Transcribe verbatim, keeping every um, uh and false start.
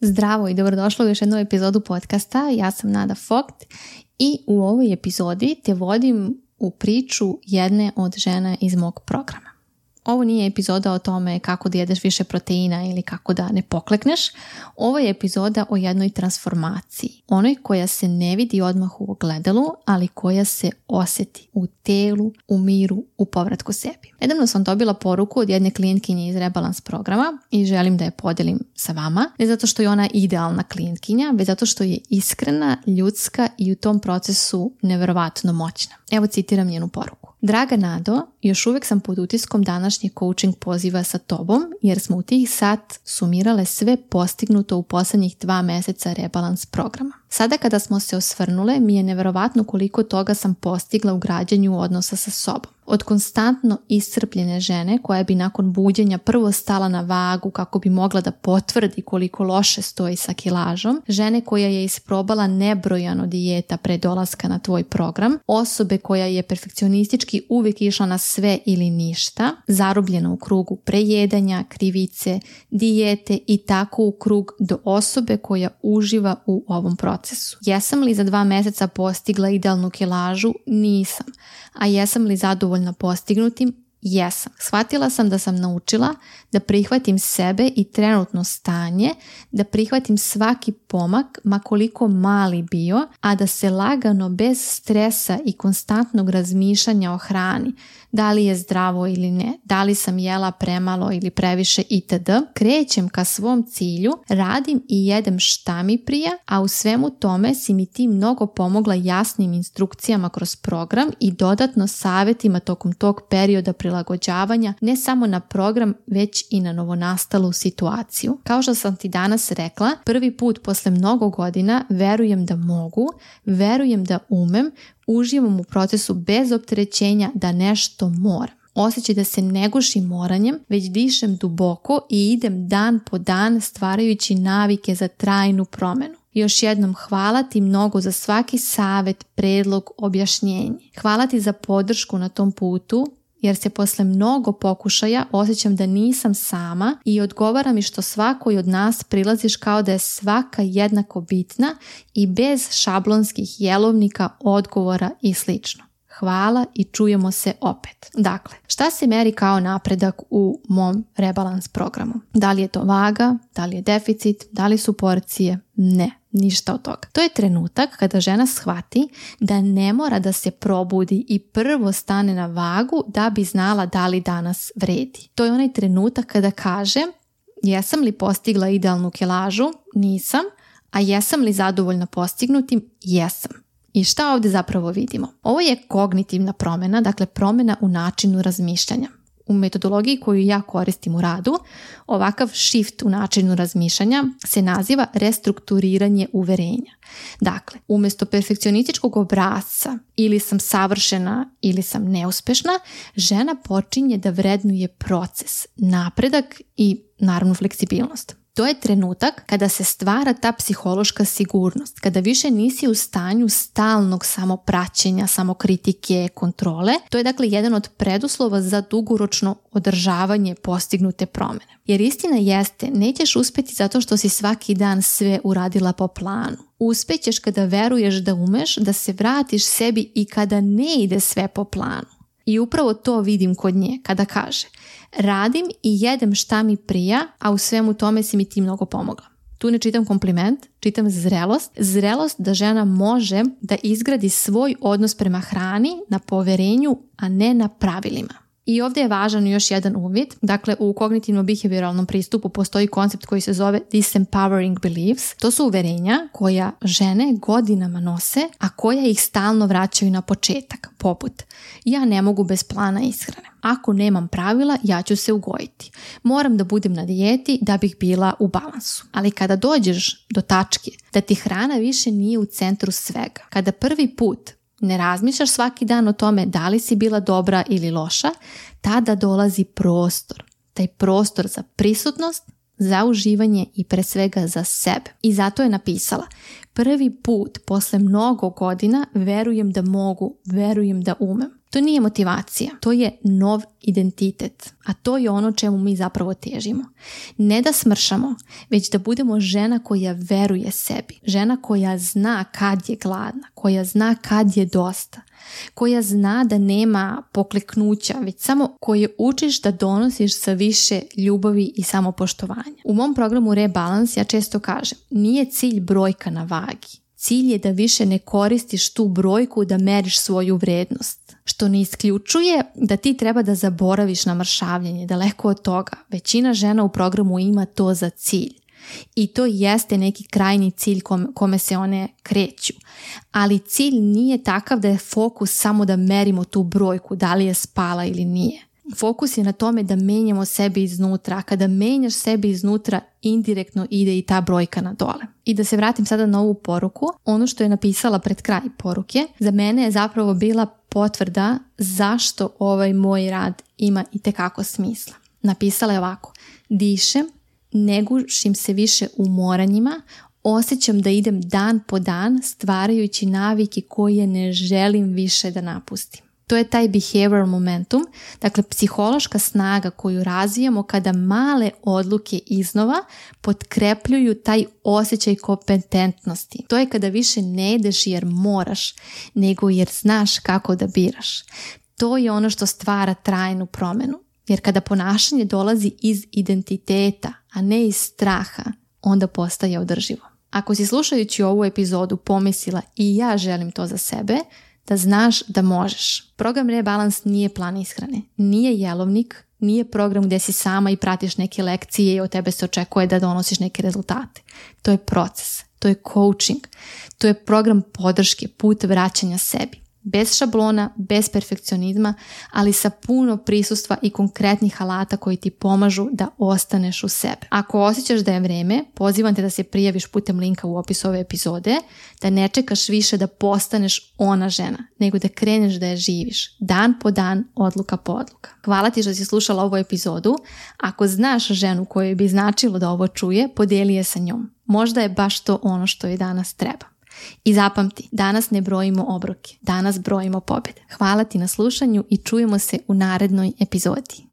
Zdravo i dobrodošla u još jednu epizodu podcasta. Ja sam Nada Vogt i u ovoj epizodi te vodim u priču jedne od žena iz mog programa. Ovo nije epizoda o tome kako da jedeš više proteina ili kako da ne poklekneš. Ovo je epizoda o jednoj transformaciji. Onoj koja se ne vidi odmah u ogledalu, ali koja se osjeti u telu, u miru, u povratku sebi. Nedavno sam dobila poruku od jedne klijentkinje iz Rebalans programa i želim da je podijelim sa vama. Ne zato što je ona idealna klijentkinja, već zato što je iskrena, ljudska i u tom procesu nevjerovatno moćna. Evo citiram njenu poruku. Draga Nado, još uvijek sam pod utiskom današnjeg coaching poziva sa tobom jer smo u tih sat sumirale sve postignuto u posljednjih dva mjeseca Rebalans programa. Sada kada smo se osvrnule, mi je nevjerovatno koliko toga sam postigla u građenju odnosa sa sobom. Od konstantno iscrpljene žene koja bi nakon buđenja prvo stala na vagu kako bi mogla da potvrdi koliko loše stoji sa kilažom, žene koja je isprobala nebrojano dijeta pre dolaska na tvoj program, osobe koja je perfekcionistički uvijek išla na sve ili ništa, zarobljena u krugu prejedanja, krivice, dijete i tako u krug do osobe koja uživa u ovom procesu. Jesam li za dva mjeseca postigla idealnu kilažu? Nisam. A jesam li zadovoljna postignutim? Jesam. Shvatila sam da sam naučila da prihvatim sebe i trenutno stanje, da prihvatim svaki pomak, ma koliko mali bio, a da se lagano, bez stresa i konstantnog razmišljanja o hrani, da li je zdravo ili ne, da li sam jela premalo ili previše itd., krećem ka svom cilju, radim i jedem šta mi prija, a u svemu tome si mi ti mnogo pomogla jasnim instrukcijama kroz program i dodatno savjetima tokom tog perioda prilagođavanja ne samo na program, već i na novonastalu situaciju. Kao što sam ti danas rekla, prvi put posle mnogo godina verujem da mogu, verujem da umem, uživam u procesu bez opterećenja da nešto moram. Osjećaj da se ne gušim moranjem, već dišem duboko i idem dan po dan stvarajući navike za trajnu promjenu. Još jednom hvala ti mnogo za svaki savjet, predlog, objašnjenje. Hvala ti za podršku na tom putu, jer se posle mnogo pokušaja osjećam da nisam sama i odgovara mi što svakoj od nas prilaziš kao da je svaka jednako bitna i bez šablonskih jelovnika, odgovora i slično. Hvala i čujemo se opet. Dakle, šta se meri kao napredak u mom rebalans programu? Da li je to vaga? Da li je deficit? Da li su porcije? Ne. Ništa od toga. To je trenutak kada žena shvati da ne mora da se probudi i prvo stane na vagu da bi znala da li danas vredi. To je onaj trenutak kada kaže jesam li postigla idealnu kilažu? Nisam. A jesam li zadovoljna postignutim? Jesam. I šta ovdje zapravo vidimo? Ovo je kognitivna promjena, dakle promjena u načinu razmišljanja. U metodologiji koju ja koristim u radu, ovakav shift u načinu razmišljanja se naziva restrukturiranje uverenja. Dakle, umjesto perfekcionističkog obrasca ili sam savršena ili sam neuspešna, žena počinje da vrednuje proces, napredak i naravno fleksibilnost. To je trenutak kada se stvara ta psihološka sigurnost, kada više nisi u stanju stalnog samopraćenja, samokritike, kontrole. To je dakle jedan od preduslova za dugoročno održavanje postignute promjene. Jer istina jeste, nećeš uspjeti zato što si svaki dan sve uradila po planu. Uspjećeš kada veruješ da umeš, da se vratiš sebi i kada ne ide sve po planu. I upravo to vidim kod nje kada kaže radim i jedem šta mi prija, a u svemu tome si mi ti mnogo pomogla. Tu ne čitam kompliment, čitam zrelost. Zrelost da žena može da izgradi svoj odnos prema hrani na poverenju, a ne na pravilima. I ovdje je važan još jedan uvid. Dakle, u kognitivno-behavioralnom pristupu postoji koncept koji se zove disempowering beliefs. To su uverenja koja žene godinama nose, a koja ih stalno vraćaju na početak. Poput, ja ne mogu bez plana ishrane. Ako nemam pravila, ja ću se ugojiti. Moram da budem na dijeti da bih bila u balansu. Ali kada dođeš do tačke da ti hrana više nije u centru svega, kada prvi put ne razmišljaš svaki dan o tome da li si bila dobra ili loša, tada dolazi prostor. Taj prostor za prisutnost, za uživanje i pre svega za sebe. I zato je napisala, prvi put posle mnogo godina verujem da mogu, verujem da umem. To nije motivacija, to je nov identitet, a to je ono čemu mi zapravo težimo. Ne da smršamo, već da budemo žena koja veruje sebi, žena koja zna kad je gladna, koja zna kad je dosta, koja zna da nema pokleknuća, već samo koje učiš da donosiš sa više ljubavi i samopoštovanja. U mom programu Rebalance ja često kažem, nije cilj brojka na vagi. Cilj je da više ne koristiš tu brojku da meriš svoju vrednost, što ne isključuje da ti treba da zaboraviš na mršavljenje, daleko od toga. Većina žena u programu ima to za cilj i to jeste neki krajnji cilj kome se one kreću, ali cilj nije takav da je fokus samo da merimo tu brojku, da li je spala ili nije. Fokus je na tome da menjamo sebe iznutra, a kada menjaš sebe iznutra, indirektno ide i ta brojka na dole. I da se vratim sada na ovu poruku, ono što je napisala pred kraj poruke, za mene je zapravo bila potvrda zašto ovaj moj rad ima itekako smisla. Napisala je ovako: dišem, ne gušim se više u moranjima, osjećam da idem dan po dan stvarajući navike koje ne želim više da napustim. To je taj behavioral momentum, dakle psihološka snaga koju razvijamo kada male odluke iznova potkrepljuju taj osjećaj kompetentnosti. To je kada više ne ideš jer moraš, nego jer znaš kako da biraš. To je ono što stvara trajnu promjenu. Jer kada ponašanje dolazi iz identiteta, a ne iz straha, onda postaje održivo. Ako si slušajući ovu epizodu pomislila i ja želim to za sebe, da znaš da možeš. Program Rebalance nije plan ishrane, nije jelovnik, nije program gdje si sama i pratiš neke lekcije i od tebe se očekuje da donosiš neke rezultate. To je proces, to je coaching, to je program podrške, put vraćanja sebi. Bez šablona, bez perfekcionizma, ali sa puno prisustva i konkretnih alata koji ti pomažu da ostaneš u sebe. Ako osjećaš da je vreme, pozivam te da se prijaviš putem linka u opisu ove epizode, da ne čekaš više da postaneš ona žena, nego da kreneš da je živiš, dan po dan, odluka po odluka. Hvala ti što si slušala ovu epizodu. Ako znaš ženu kojoj bi značilo da ovo čuje, podijeli je sa njom. Možda je baš to ono što joj danas treba. I zapamti, danas ne brojimo obroke, danas brojimo pobjede. Hvala ti na slušanju i čujemo se u narednoj epizodi.